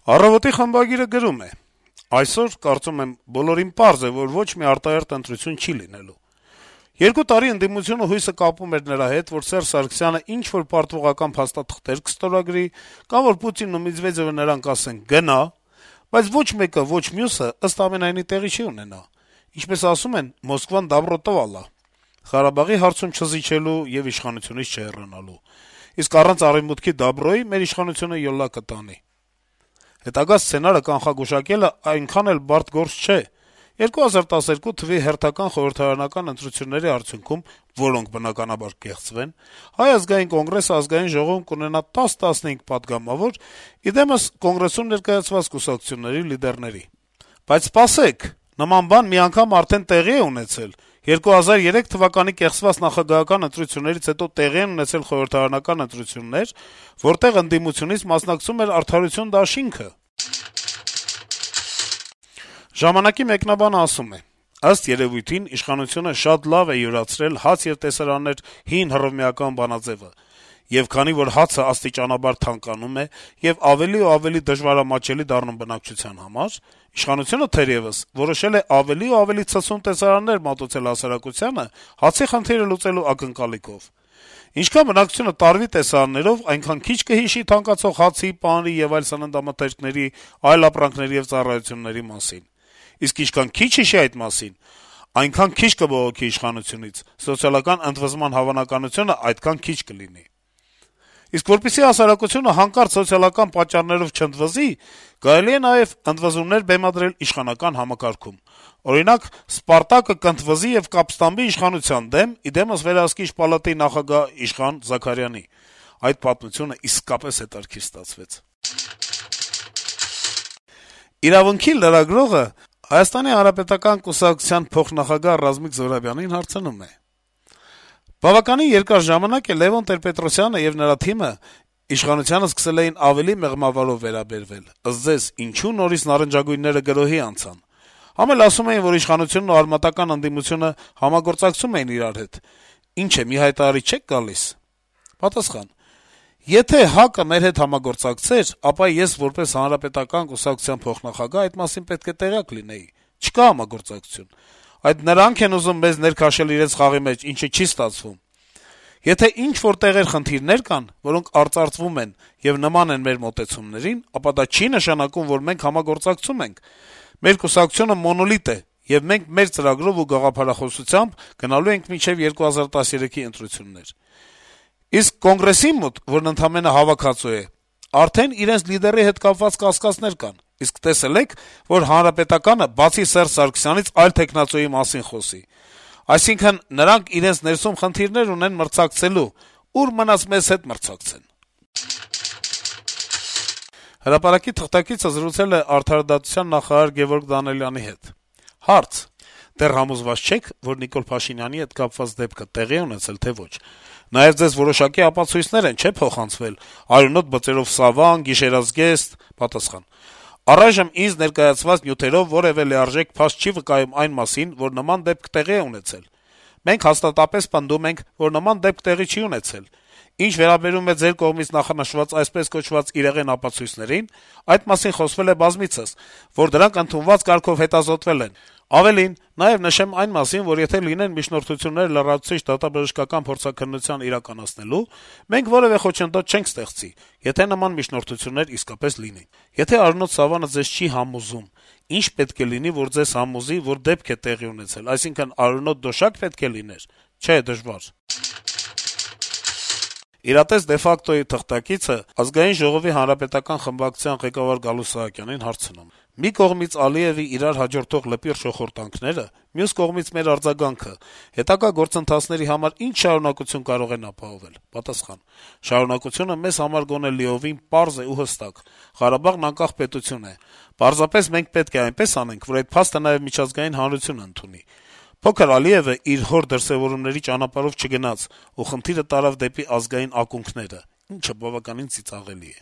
Առավոտի խմբագիրը գրում է. - «Այսօր, կարծում եմ, բոլորին պարզ է, որ ոչ մի արտահերթ ընտրություն չի լինելու։ 2 տարի ընդդիմությունը հույսը կապում էր նրա հետ, որ Սերժ Սարգսյանը ինչ-որ պարտվողական փաստաթղթեր կստորագրի, կամ որ Պուտինն ու Մեդվեդեւը նրան կասեն «գնա», բայց ոչ մեկը, ոչ մյուսը ըստ ամենայնի տեղի չի ունենա։ Ինչպես ասում են, Մոսկվան դաբրո տվալա. Ղարաբաղի հարցում չզիջելու եւ իշխանությունից չհեռանալու։ Իսկ առանց Արեւմուտքի դաբրոյի մեր իշխանությունը յոլա կտանի։ Հետագա սցենարը կանխագուշակելը այնքան էլ բարդ գործ չէ։ 2012 թվականի հերթական խորհրդարանական ընտրությունների արդյունքում, որոնք բնականաբար կեղծվեն, Հայ ազգային կոնգրեսը ազգային ժողովում կունենա 10-15 պատգամավոր, իդեմս կոնգրեսում ներկայացված կուսակցությունների լիդերների։ Բայց սպասեք, նման բան մի անգամ արդեն տեղի է ունեցել։ 2003 թվականի կեղծված նախագահական ընտրություններից հետո տեղի են ունեցել խորհրդարանական ընտրություններ, որտեղ ընդդիմությունից մասնակցում էր Արդարություն դաշինքը»։ «Ժամանակ»-ի մեկնաբանը ասում է. - «Ըստ երեւույթին իշխանությունը շատ լավ է յուրացրել հաց եւ տեսարաններ հին հռովմեական բանաձեւը, եւ քանի որ հացը աստիճանաբար թանկանում է եւ ավելի ու ավելի դժվարամատչելի դառնում բնակչության համար, իշխանությունը թերեւս որոշել է ավելի ու ավելի ցցուն տեսարաններ մատուցել հասարակությանը հացի խնդիրը լուծելու ակնկալիքով։ Ինչքան բնակչությունը տարվի տեսարաններով, այնքան քիչ կհիշի թանկացող հացի, պանիրի եւ այլ սննդամթերքների, այլ ապրանքների եւ ծառայությունների մասին։ Իսկ ինչքան քիչ հիշի այդ մասին, այնքան քիչ կբողոքի իշխանությունից, սոցիալական ընդվզման հավանականությունը այդքան քիչ կլինի։ Իսկ որպեսզի հասարակությունը հանկարծ սոցիալական պատճառներով չընդվզի, կարելի է նաեւ ընդվզումներ բեմադրել իշխանական համակարգում։ Օրինակ, Սպարտակը կընդվզի եւ կապստամբի իշխանության դեմ, իդեմս վերահսկիչ պալատի նախագահ Իշխան Զաքարյանի։ Այդ պատմությունը իսկապես հետաքրքիր ստացվեց»։ «Իրավունք»-ի լրագրողը Հայաստանի հանրապետական կուսակցության փոխնախագահ Ռազմիկ Զոհրաբյանին հարցնում է. - «Բավականին երկար ժամանակ է Լեւոն Տեր-Պետրոսյանը եւ նրա թիմը իշխանությանը սկսել էին ավելի մեղմավարով վերաբերվել, ըստ ձեզ, ինչու նորից նարնջագույնները գրոհի անցան։ Համ էլ ասում էին, որ իշխանությունն ու արմատական ընդդիմությունը համագործակցում էին իրար հետ։ Ինչ է, մի հայտարարի չեք գալիս»։ Պատասխան. - «Եթե ՀԱԿ-ը մեր հետ համագործակցեր, ապա ես որպես հանրապետական կուսակցության փոխնախագահ այդ մասին պետք է տեղյակ լինեի։ Չկա համագործակցություն։ Այդ նրանք են ուզում մեզ ներքաշել իրենց խաղի մեջ, ինչը չի ստացվում։ Եթե ինչ-որ տեղեր խնդիրներ կան, որոնք արծարծվում են եւ նման են մեր մոտեցումներին, ապա դա չի նշանակում, որ մենք համագործակցում ենք։ Մեր կուսակցությունը մոնոլիտ է, եւ մենք մեր ծրագրով ու գաղափարախոսությամբ գնալու ենք մինչեւ 2013-ի ընտրություններ։ Իսկ Կոնգրեսի մոտ, որն ընդամենը հավաքածու է, արդեն իրենց լիդերի հետ կապված կասկածներ կան։ Իսկ տեսել եք, որ Հանրապետականը բացի Սերժ Սարգսյանից այլ թեկնածուի մասին խոսի։ Այսինքն, նրանք իրենց ներսում խնդիրներ ունեն մրցակցելու, ուր մնաց մեզ հետ մրցակցեն»։ Հրապարակի թղթակիցը զրուցել է արդարադատության նախարար Գևորգ Դանիելյանի հետ։ Հարց. - Դեռ համոզված չե՞ք, որ Նիկոլ Փաշինյանի հետ կապված դեպքը տեղի է ունեցել, թե ոչ։ Նաեւ ձեզ որոշակի ապացույցներ են, չէ՞, փոխանցվել, արյունոտ բծերով սավան, գիշերազգեստ։ Պատասխան. - Առայժմ ինձ ներկայացված նյութերով որեւէ լիարժեք փաստ չի վկայում այն մասին, որ նման դեպք տեղի է ունեցել։ Մենք հաստատապես պնդում ենք, որ նման դեպք տեղի չի ունեցել։ Ինչ վերաբերում է ձեր կողմից նախանշված այսպես կոչված իրեղեն ապացույցներին, այդ մասին խոսվել է բազմիցս, որ դրանք ընդունված կարգով հետազոտվել են։ Ավելին, նաեւ նշեմ այն մասին, որ եթե լինեն միջնորդություններ լրացուցիչ դատաբժշկական փորձաքննության իրականացնելու, մենք որեւէ խոչընդոտ չենք ստեղծի, եթե նման միջնորդություններ իսկապես լինեն։ Եթե արյունոտ սավանը ձեզ չի համոզում, ինչ պետք է լինի, որ ձեզ համոզի, որ դեպք է տեղի ունեցել, այսինքն արյունոտ դոշակ պետք է լիներ։ Չէ, դժվար»։ «Իրատես de facto»-ի թղթակիցը Ազգային ժողովի հանրապետական խմբակցության ղեկավար Գալուստ Սահակյանին հարցնում է. - «Մի կողմից Ալիեւի իրար հաջորդող լպիր շոխորտանքները, մյուս կողմից մեր արձագանքը, հետագա գործընթացների համար ինչ շարունակություն կարող են ապահովել»։ Պատասխան. - «Շարունակությունը մեզ համար գոնե լիովին պարզ է ու հստակ. Ղարաբաղն անկախ պետություն է։ Պարզապես մենք պետք է այնպես անենք, որ այդ փաստը նաեւ միջազգային հանրությունը ընդունի։ Փոքր Ալիեւը իր հոր դրսեւորումների ճանապարհով չգնաց ու խնդիրը տարավ դեպի ազգային ակունքները, ինչը բավականին ծիծաղելի է»։